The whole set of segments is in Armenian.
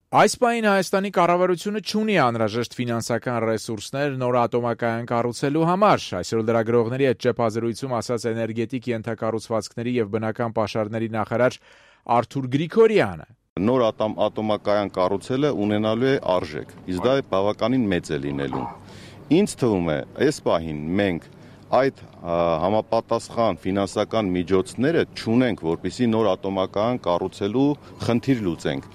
Այս պահին Հայաստանի կառավարությունը չունի անհրաժեշտ ֆինանսական ռեսուրսներ նոր ատոմակայան կառուցելու համար, այսօր լրագրողների հետ ճեպազրույցում ասաց էներգետիկ ենթակառուցվածքների եւ բնական պաշարների նախարար Արթուր Գրիգորյանը։ Նոր ատոմակայան կառուցելը ունենալու է արժեք, իսկ դա բավականին մեծ է լինելու։ Ինձ թվում է, այս պահին մենք այդ համապատասխան ֆինանսական միջոցները չունենք, որպեսզի նոր ատոմակայան կառուցելու խնդիր լուծենք։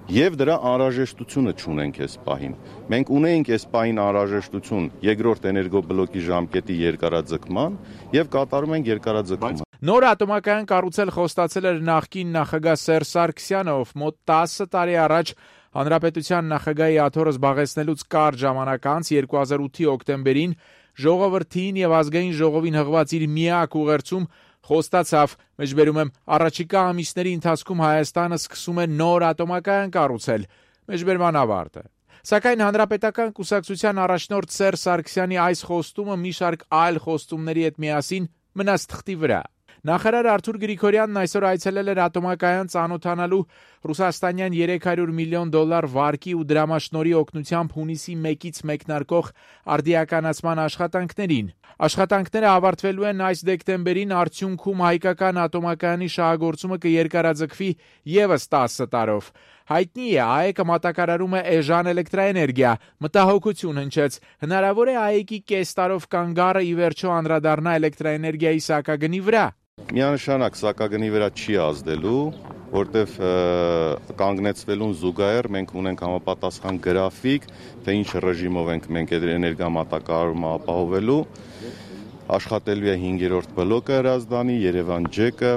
Եվ դրա անհրաժեշտությունը չունենք այս պահին։ Մենք ունեինք այս պահին անհրաժեշտություն երկրորդ էներգոբլոկի ժամկետի երկարաձգման եւ կատարում ենք երկարաձգումը։ Նոր ատոմակայան կառուցել խոստացել էր նախկին նախագահ Սերժ Սարգսյանը, ով մոտ 10 տարի առաջ հանրապետության նախագահի աթոռը զբաղեցնելուց կարճ ժամանակ անց 2008-ի օկտեմբերին ժողովրդին եւ ազգային ժողովին հղված իր միակ ուղերձում խոստացավ, մեջբերում եմ, առաջիկա ամիսների ընթացքում Հայաստանը սկսում է նոր ատոմակայան կառուցել, մեջբերման ավարտը։ Սակայն հանրապետական կուսակցության առաջնորդ Սերժ Սարգսյանի այս խոստումը մի շարք այլ խոստումների հետ միասին մնաց թղթի վրա։ Նախարար Արթուր Գրիգորյանն այսօր այցելել էր ատոմակայան ծանոթանալու ռուսաստանյան $300 միլիոն վարկի ու դրամաշնորհի օգնությամբ հունիսի 1-ից մեկնարկող արդիականացման աշխատանքներին։ Աշխատանքները ավարտվելու են այս դեկտեմբերին, արդյունքում հայկական ատոմակայանի շահագործումը կերկարաձգվի եւս 10 տարով։ Հայտնի է, ԱԷԿ-ը մատակարարում է էժան էլեկտրաէներգիա, մտահոգություն հնչեց։ Հնարավոր է ԱԵԿ-ի կես տարով կանգառը ի վերջո անդրադառնա էլեկտրաէներգիայի սակագնի վրա։ Միանշանակ սակագնի վրա չի ազդելու, որտեվ կանգնեցվելուն զուգահեռ մենք ունենք համապատասխան գրաֆիկ, թե ինչ ռեժիմով ենք մենք այդ էներգամատակարարումը ապահովելու։ Աշխատելու է 5-րդ բլոկը Հրազդանի, Երևան ջեկը,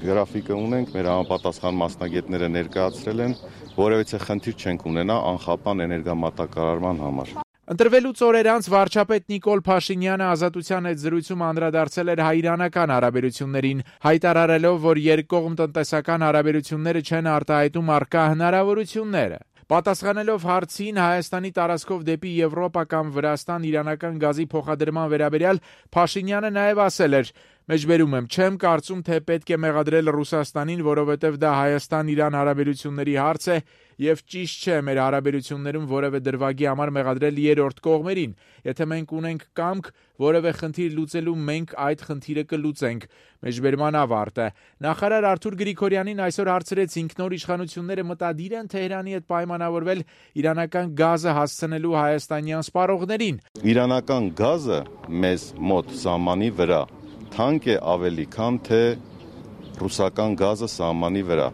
գրաֆիկը ունենք, մեր համապատասխան մասնագետները ներկայացրել են, որևիցե խնդիր չենք ունենա անխափան էներգամատակարարման համար։ Ընտրվելուց օրեր անց վարչապետ Նիկոլ Փաշինյանը Ազատության հետ զրույցում անդրադարձել էր հայ-իրանական հարաբերություններին, հայտարարելով, որ երկկողմ տնտեսական հարաբերությունները չեն արտահայտում առկա հնարավորությունները։ Պատասխանելով հարցին Հայաստանի տարածքով դեպի Եվրոպա կամ Վրաստան իրանական գազի փոխադրման վերաբերյալ, Փաշինյանը նաև ասել էր. «Մեջբերում եմ, չեմ կարծում, թե պետք է մեղադրել Ռուսաստանին, որովհետև դա Հայաստան-Իրան հարաբերությունների հարց է եւ ճիշտ չէ մեր հարաբերություններում որևէ դրվագի համար մեղադրել երրորդ կողմերին։ Եթե մենք ունենք կամք որևէ խնդիր լուծելու, մենք այդ խնդիրը կլուծենք»։ Մեջբերման ավարտը։ Նախարար Արթուր Գրիգորյանին այսօր հարցրեցինք, նոր իշխանությունները մտադիր են Թեհրանի հետ պայմանավորվել իրանական գազը հասցնելու հայաստանյան սպառողներին։ Իրանական գազը մեզ մոտ սահմանի վրա թանկ է ավելի, քան թե ռուսական գազը սահմանի վրա։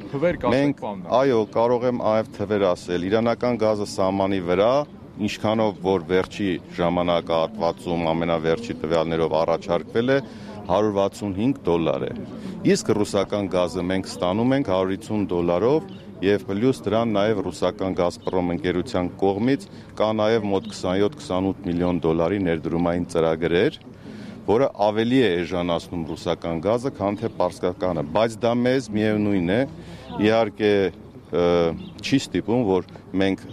Մենք, այո, կարող եմ այլ թվեր ասել, իրանական գազը սահմանի վրա, ինչքանով որ վերջի ժամանակահատվածում ամենավերջի տվյալներով առաջարկվել է, $165 է։ Իսկ ռուսական գազը մենք ստանում ենք $150 եւ պլյուս դրան նաեւ ռուսական Գազպրոմ ընկերության կողմից կա նաեւ մոտ 27-28 միլիոն դոլարի ներդրումային ծրագրեր, որը ավելի է էժանացնում ռուսական գազը, քան թե պարսկականը, բայց դա մեզ միևնույն է, իհարկե չի ստիպում, որ մենք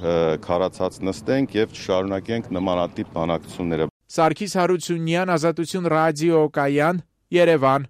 քարացած նստենք եւ շարունակենք նմանատիպ բանակցությունները։ Սարգիս Հարությունյան, Ազատություն ռադիո կայան, Երևան։